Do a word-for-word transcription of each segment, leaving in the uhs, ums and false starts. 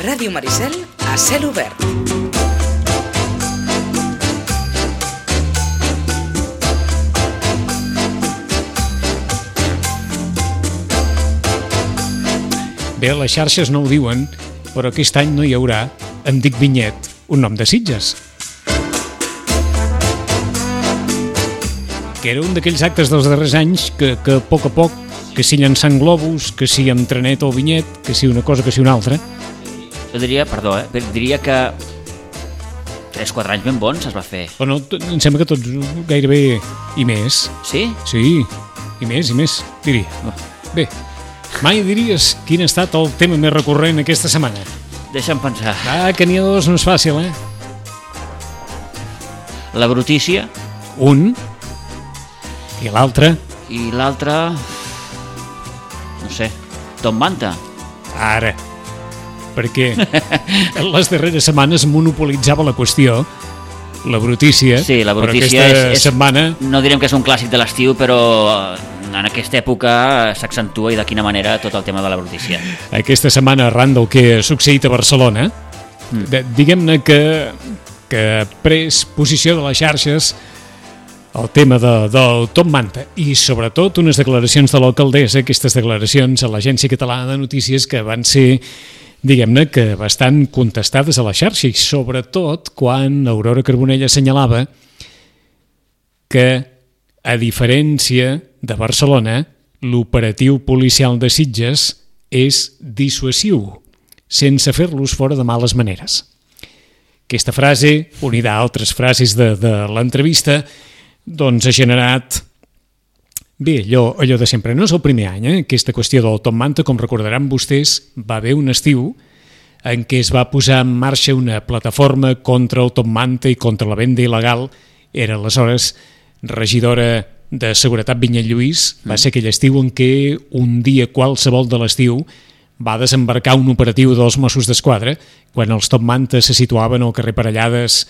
Ràdio Maricel a cel obert. Bé, les xarxes no ho diuen, però aquest any no hi haurà Em dic Vinyet, un nom de Sitges. Que era un d'aquells actes dels darrers anys que, que a poc a poc, que si llançant globus, que si amb trenet o vinyet, que si una cosa, que si una altra. Jo diria, perdó, eh, diria que tres quatre anys ben bons es va fer. Però no, em sembla que tots gairebé i més. Sí? Sí, i més, i més, diria. Bé, mai diries quin ha estat el tema més recurrent aquesta setmana? Deixa'm pensar. Ah, que n'hi ha dos, no és fàcil, eh? La brutícia. Un. I l'altre? I l'altre... no sé, Top Manta. Ara. Perquè les darreres setmanes monopolitzava la qüestió, la brutícia. Sí, la brutícia però aquesta és, és, setmana... no direm que és un clàssic de l'estiu, però en aquesta època s'accentua i de quina manera tot el tema de la brutícia. Aquesta setmana, arran del que ha succeït a Barcelona, mm. de, diguem-ne que, que ha pres posició de les xarxes el tema de, del Top Manta i sobretot unes declaracions de l'alcaldessa, aquestes declaracions a l'Agència Catalana de Notícies que van ser, diguem-ne, que bastant contestades a la xarxa i sobretot quan Aurora Carbonell assenyalava que, a diferència de Barcelona, l'operatiu policial de Sitges és dissuasiu, sense fer-los fora de males maneres. Aquesta frase, unida a altres frases de, de l'entrevista, doncs ha generat, bé, allò, allò de sempre. No és el primer any, eh? Aquesta qüestió del Top Manta, com recordaran vostès, va haver un estiu en què es va posar en marxa una plataforma contra el Top Manta i contra la venda il·legal. Era aleshores regidora de Seguretat Vinyet Lluís, va ser aquell estiu en què un dia qualsevol de l'estiu va desembarcar un operatiu dels Mossos d'Esquadra quan els Top Manta se situaven al carrer Parellades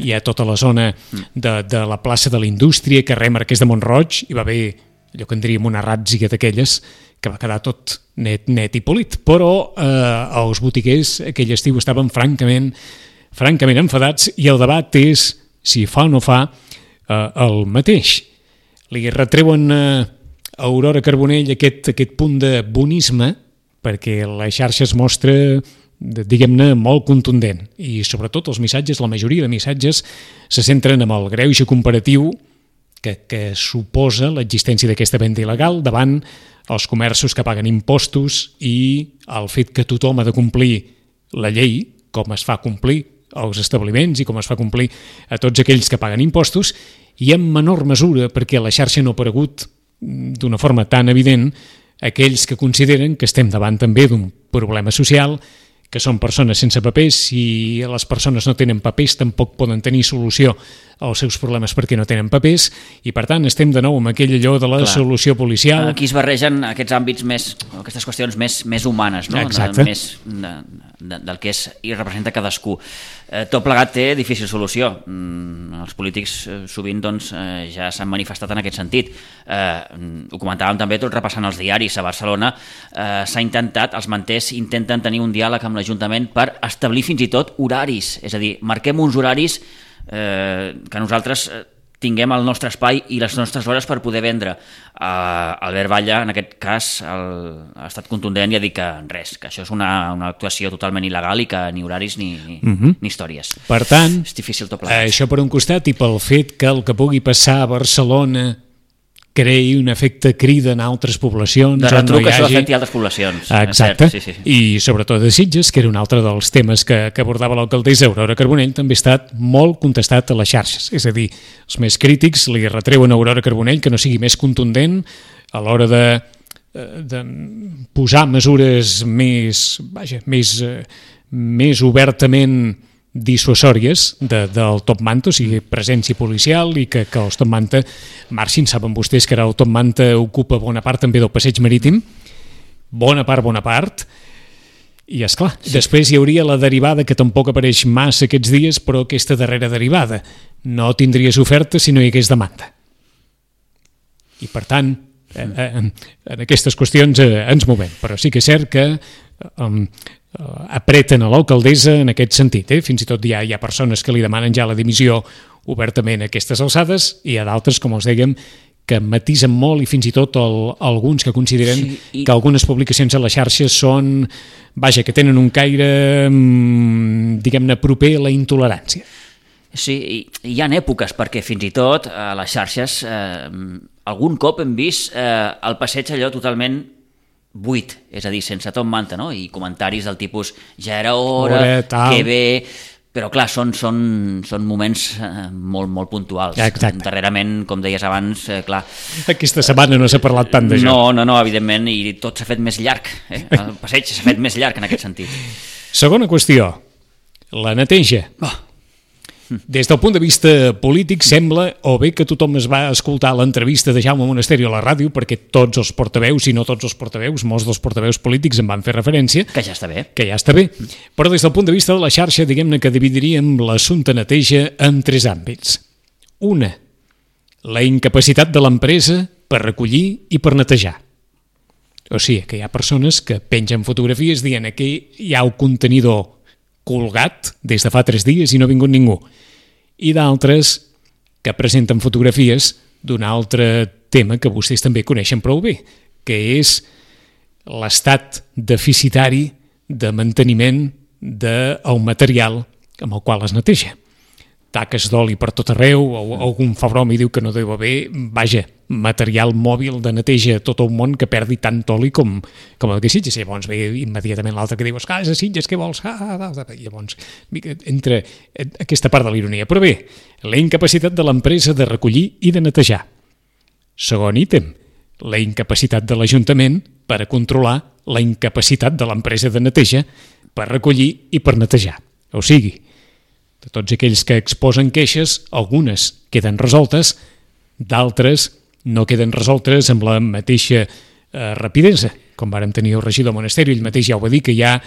i a tota la zona de, de la plaça de la Indústria, carrer Marquès de Mont-roig, hi va haver allò que en diríem una ràtzia d'aquelles que va quedar tot net, net i polit, però eh, els botiguers aquell estiu estaven francament francament enfadats i el debat és si fa o no fa eh, el mateix. Li retreuen a Aurora Carbonell aquest, aquest punt de bonisme perquè la xarxa es mostra, diguem-ne, molt contundent i sobretot els missatges, la majoria de missatges se centren en el greuge comparatiu que, que suposa l'existència d'aquesta venda il·legal davant els comerços que paguen impostos i el fet que tothom ha de complir la llei, com es fa complir als establiments i com es fa complir a tots aquells que paguen impostos i en menor mesura, perquè la xarxa no ha aparegut d'una forma tan evident, aquells que consideren que estem davant també d'un problema social, que són persones sense papers, i les persones no tenen papers tampoc poden tenir solució als seus problemes perquè no tenen papers, i per tant estem de nou amb aquell allò de la Clar. Solució policial. Aquí es barregen aquests àmbits més, aquestes qüestions més, més humanes, no? Exacte. De, més de, de, del que és i representa cadascú. Eh, tot plegat té difícil solució. Mm, els polítics eh, sovint doncs, eh, ja s'han manifestat en aquest sentit. Eh, ho comentàvem també tot repassant els diaris. A Barcelona eh, s'ha intentat, els manters intenten tenir un diàleg amb l'Ajuntament per establir fins i tot horaris, és a dir, marquem uns horaris eh, que nosaltres eh, tinguem el nostre espai i les nostres hores per poder vendre. Uh, Albert Batlle, en aquest cas, el, ha estat contundent i ha dit que res, que això és una, una actuació totalment il·legal i que ni horaris ni, ni, uh-huh. ni històries. Per tant, és difícil tot plegat. Això per un costat i pel fet que el que pugui passar a Barcelona creï un efecte crida en altres poblacions. De retruc, no hi hagi... això afecti altres poblacions. Exacte, sí, sí, sí. I sobretot de Sitges, que era un altre dels temes que, que abordava l'alcaldessa Aurora Carbonell, també ha estat molt contestat a les xarxes. És a dir, els més crítics li retreuen a Aurora Carbonell que no sigui més contundent a l'hora de, de posar mesures més, vaja, més, més obertament dissuasòries de, del Top Manta, o sigui, presència policial i que, que els Top Manta marxin. Saben vostès que ara el Top Manta ocupa bona part també del passeig marítim, bona part, bona part, i esclar, sí. Després hi hauria la derivada que tampoc apareix massa aquests dies, però aquesta darrera derivada no tindries oferta si no hi hagués demanda. I per tant, en, en aquestes qüestions eh, ens movem, però sí que és cert que um, apreten a l'alcaldessa en aquest sentit. Eh? Fins i tot hi ha, hi ha persones que li demanen ja la dimissió obertament a aquestes alçades i hi ha d'altres, com els dèiem, que matisen molt i fins i tot el, alguns que consideren sí, i... que algunes publicacions a les xarxes són, vaja, que tenen un caire, diguem-ne, proper a la intolerància. Sí, hi ha èpoques perquè fins i tot a les xarxes eh, algun cop hem vist eh, el passeig allò totalment buit, és a dir, sense Tom Manta, no? I comentaris del tipus ja era hora, hora que bé... Però clar, són, són, són moments eh, molt, molt puntuals. Exacte. Darrerament, com deies abans, eh, clar... Aquesta setmana no s'ha parlat tant d'això. No, no, no, evidentment, i tot s'ha fet més llarg. Eh? El passeig s'ha fet més llarg en aquest sentit. Segona qüestió, la neteja. Oh. Des del punt de vista polític sembla o bé que tothom es va escoltar l'entrevista de Jaume Monasterio a la ràdio, perquè tots els portaveus, i no tots els portaveus, molts dels portaveus polítics en van fer referència. Que ja està bé. Que ja està bé. Però des del punt de vista de la xarxa, diguem-ne que dividiríem l'assumpte neteja en tres àmbits. Una, la incapacitat de l'empresa per recollir i per netejar. O sigui, que hi ha persones que pengen fotografies dient que hi ha un contenidor colgat des de fa tres dies i no ha vingut ningú. I d'altres que presenten fotografies d'un altre tema que vostès també coneixen prou bé, que és l'estat deficitari de manteniment del material amb el qual es neteja. Taques d'oli per tot arreu, o algun fa broma i diu que no deu haver, vaja, material mòbil de neteja a tot el món que perdi tant oli com, com el que Sitges. Llavors ve immediatament l'altre que diu, ah, és a Sitges, què vols? Ah, ah, ah. Llavors entra aquesta part de l'ironia. Però bé, la incapacitat de l'empresa de recollir i de netejar. Segon ítem, la incapacitat de l'Ajuntament per a controlar la incapacitat de l'empresa de neteja per recollir i per netejar. O sigui, de tots aquells que exposen queixes, algunes queden resoltes, d'altres no queden resoltes amb la mateixa eh, rapidesa. Com vàrem tenir el regidor Monasterio, ell mateix ja ho va dir, que hi ha,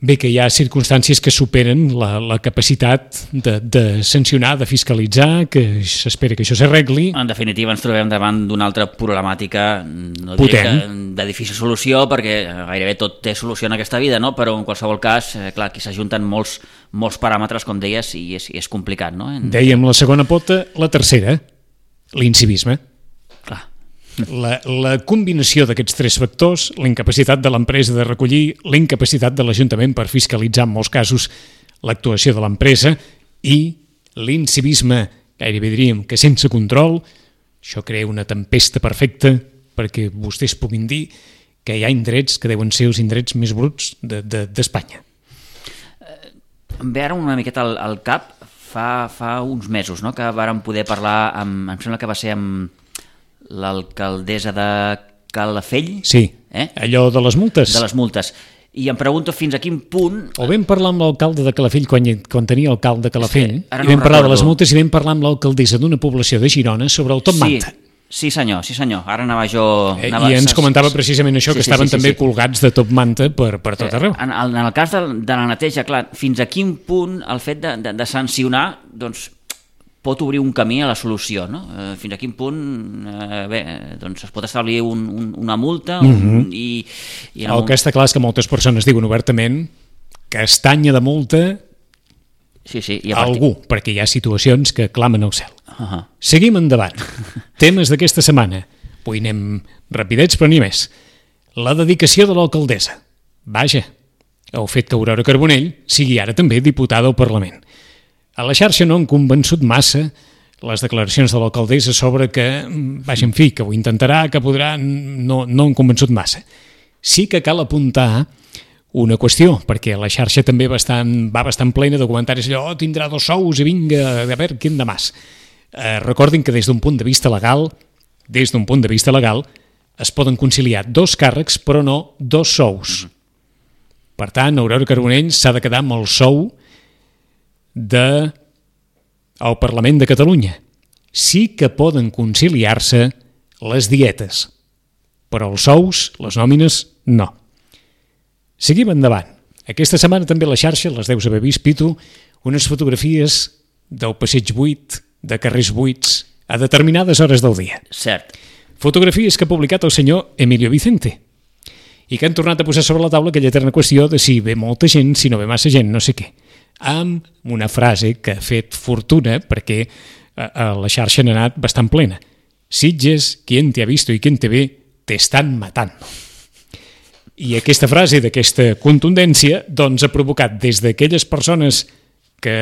bé, que hi ha circumstàncies que superen la, la capacitat de, de sancionar, de fiscalitzar, que s'espera que això s'arregli. En definitiva, ens trobem davant d'una altra problemàtica, no diré que de difícil solució, perquè gairebé tot té solució en aquesta vida, no? Però en qualsevol cas, eh, clar, aquí s'ajunten molts, molts paràmetres, com deies, i és, és complicat, no? En... Dèiem la segona pota, la tercera, l'incivisme. Clar. La, la combinació d'aquests tres factors, la incapacitat de l'empresa de recollir, la incapacitat de l'Ajuntament per fiscalitzar en molts casos l'actuació de l'empresa i l'incivisme, gairebé diríem que sense control, això crea una tempesta perfecta perquè vostès puguin dir que hi ha indrets que deuen ser els indrets més bruts d'Espanya. De, de, em ve ara una miqueta al, al cap, fa, fa uns mesos, no?, que vàrem poder parlar amb, em sembla que va ser amb l'alcaldessa de Calafell. Sí, eh? Allò de les multes. De les multes. I em pregunto fins a quin punt... O vam parlar amb l'alcalde de Calafell quan, quan tenia alcalde de Calafell, sí, i vam no parlar recordo. de les multes i vam parlar amb l'alcaldessa d'una població de Girona sobre el Tom sí. Manta. Sí senyor, sí senyor, ara anava jo... Anava... I ens comentava precisament això, sí, que sí, estaven sí, sí, també sí. colgats de top manta per, per tot arreu. En el, en el cas de, de la neteja, clar, fins a quin punt el fet de, de, de sancionar, doncs, pot obrir un camí a la solució, no? Eh, fins a quin punt eh, bé, doncs es pot establir un, un, una multa un, mm-hmm. i... i el que està clar és que moltes persones diuen obertament que estanya de multa sí, sí, i a algú, perquè hi ha situacions que clamen al cel. Uh-huh. Seguim endavant. Temes d'aquesta setmana. Avui anem rapidets, però ni més. La dedicació de l'alcaldessa. Vaja, el fet que Aurora Carbonell sigui ara també diputada al Parlament. A la xarxa no han convençut massa les declaracions de l'alcaldessa sobre que, vaja, en fi, que ho intentarà, que podrà, no, no han convençut massa. Sí que cal apuntar una qüestió, perquè la xarxa també bastant, va bastant plena de comentaris allò, oh, tindrà dos sous i vinga, a veure, quin de mas. Eh, recordin que des d'un punt de vista legal, des d'un punt de vista legal, es poden conciliar dos càrrecs, però no dos sous. Per tant, Aurora Carbonell s'ha de quedar amb el sou de al Parlament de Catalunya. Sí que poden conciliar-se les dietes, però els sous, les nòmines, no. Seguim endavant. Aquesta setmana també a la xarxa, les deus haver vist, Pitu, unes fotografies del passeig buit, de carrers buits, a determinades hores del dia. Cert. Fotografies que ha publicat el senyor Emilio Vicente. i que han tornat a posar sobre la taula aquella eterna qüestió de si ve molta gent, si no ve massa gent, no sé què. Amb una frase que ha fet fortuna perquè a la xarxa n'ha anat bastant plena. Sitges, quien te ha visto y quien te ve, te están matando. I aquesta frase d'aquesta contundència doncs ha provocat des d'aquelles persones que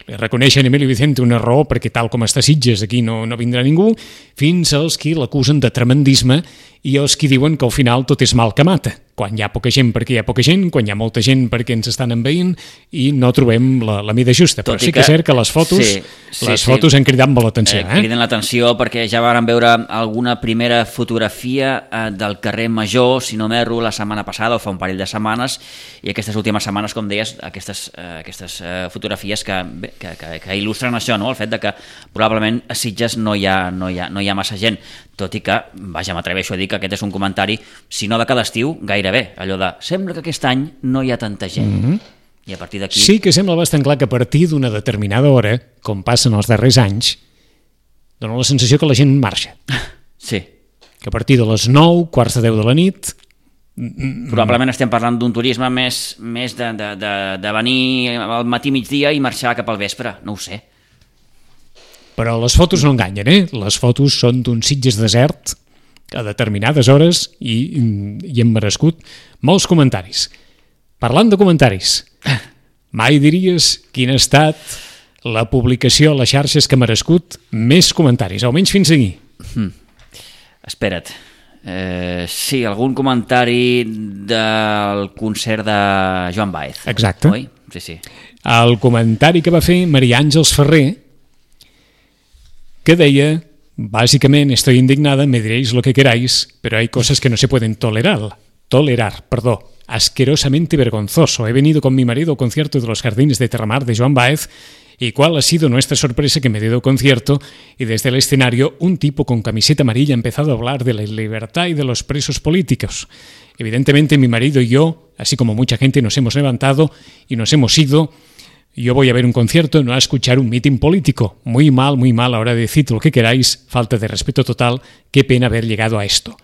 li reconeixen a Emilio Vicente una raó perquè tal com està Sitges aquí no, no vindrà ningú, fins als qui l'acusen de tremendisme i els qui diuen que al final tot és mal que mata. Quan hi ha poca gent perquè hi ha poca gent, quan hi ha molta gent perquè ens estan envaint i no trobem la, la mida justa. Però sí que és cert que les fotos, sí, sí, les sí. fotos han cridat molt l'atenció. Eh, eh? Criden l'atenció perquè ja vàrem veure alguna primera fotografia eh, del carrer Major, si no m'erro, la setmana passada o fa un parell de setmanes, i aquestes últimes setmanes, com deies, aquestes, eh, aquestes eh, fotografies que, bé, que, que, que il·lustren això, no? El fet de que probablement a Sitges no hi ha, no hi ha, no hi ha massa gent, tot i que, vaja, m'atreveixo a dir que aquest és un comentari, si no de cada estiu, gairebé, allò de, sembla que aquest any no hi ha tanta gent. Mm-hmm. I a partir d'aquí... Sí que sembla bastant clar que a partir d'una determinada hora, com passen els darrers anys, dona la sensació que la gent marxa. Sí. Que a partir de les nou, quarts de deu de la nit... Probablement estem parlant d'un turisme més, més de, de, de, de venir al matí migdia i marxar cap al vespre, no ho sé. Però les fotos no enganyen, eh? Les fotos són d'un Sitges desert a determinades hores i, i hem merescut molts comentaris. Parlant de comentaris, mai diries quina ha estat la publicació a les xarxes que ha merescut més comentaris, almenys fins aquí. Hmm. Espera't. Eh, sí, algun comentari del concert de Joan Baez. Exacte. Oi? Sí, sí. El comentari que va fer Maria Àngels Ferrer, que deia, básicamente estoy indignada, me diréis lo que queráis, pero hay cosas que no se pueden tolerar. Tolerar, perdón. Asquerosamente vergonzoso. He venido con mi marido al concierto de los Jardines de Terramar de Joan Baez y cuál ha sido nuestra sorpresa que me dio concierto y desde el escenario un tipo con camiseta amarilla ha empezado a hablar de la libertad y de los presos políticos. Evidentemente mi marido y yo, así como mucha gente, nos hemos levantado y nos hemos ido. Yo voy a ver un concierto, no a escuchar un mitin político. Muy mal, muy mal, ahora decid lo que queráis. Falta de respeto total. Qué pena haber llegado a esto.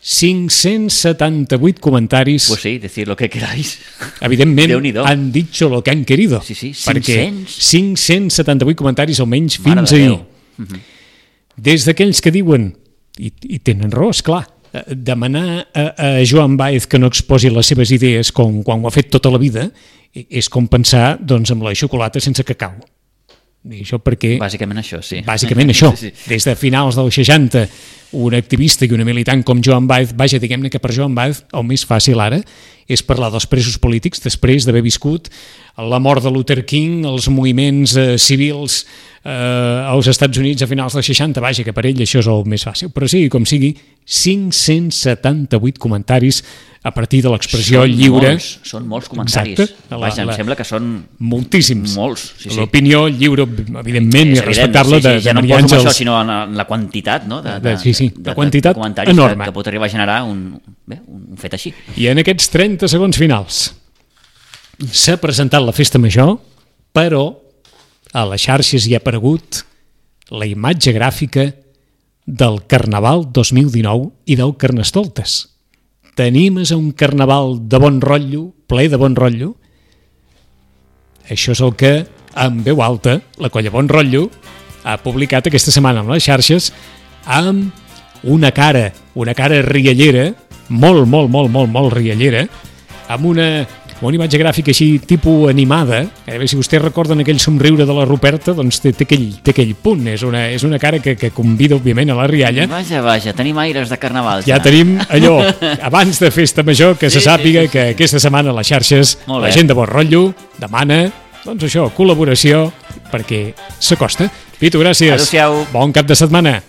cinc-cents setanta-vuit comentaris. Pues sí, decir lo que queráis. Evidentment, han dicho lo que han querido. Sí, sí, perquè cinc-cents setanta-vuit comentaris almenys Mare fins de ahir. Uh-huh. Des d'aquells que diuen, i, i tenen raó, esclar, demanar a, a Joan Baez que no exposi les seves idees com quan ho ha fet tota la vida és com pensar doncs, amb la xocolata sense cacau. I això perquè... Bàsicament això, sí. Bàsicament això. Sí, sí. Des de finals dels seixanta, un activista i una militant com Joan Baez, vaja, diguem-ne que per Joan Baez el més fàcil ara és parlar dels presos polítics després d'haver viscut la mort de Luther King, els moviments eh, civils eh, als Estats Units a finals dels seixanta, vaja, que per ell això és el més fàcil. Però sigui com sigui, cinc-cents setanta-vuit comentaris a partir de l'expressió lliure. Molts, són molts comentaris. Exacte. La, Vaja, la, em sembla que són... Moltíssims. Molts, sí, sí. L'opinió lliure, evidentment, és i respectable sí, sí, de, ja de no Maria poso Àngels. això, sinó en la quantitat, no? De, de, de, sí, sí, de, la quantitat de comentaris enorme. que, que pot arribar a generar un, bé, un fet així. I en aquests trenta segons finals s'ha presentat la festa major, però a les xarxes hi ha aparegut la imatge gràfica del Carnaval dos mil dinou i del Carnestoltes. T'animes a un carnaval de bon rotllo, ple de bon rotllo? Això és el que, en veu alta, la colla Bon Rotllo ha publicat aquesta setmana amb les xarxes amb una cara, una cara riallera, molt, molt, molt, molt, molt riallera, amb una, una imatge gràfica així tipus animada. A veure si vostès recorden aquell somriure de la Ruperta, doncs té, té, aquell, té aquell punt. És una, és una cara que, que convida, òbviament, a la rialla. Vaja, vaja, tenim aires de carnaval. Ja, ja tenim allò, abans de festa major, que sí, se sàpiga sí, sí, sí. que aquesta setmana a les xarxes la gent de Bon Rotllo demana, doncs això, col·laboració, perquè s'acosta. Pitu, gràcies. Adéu-siau. Bon cap de setmana.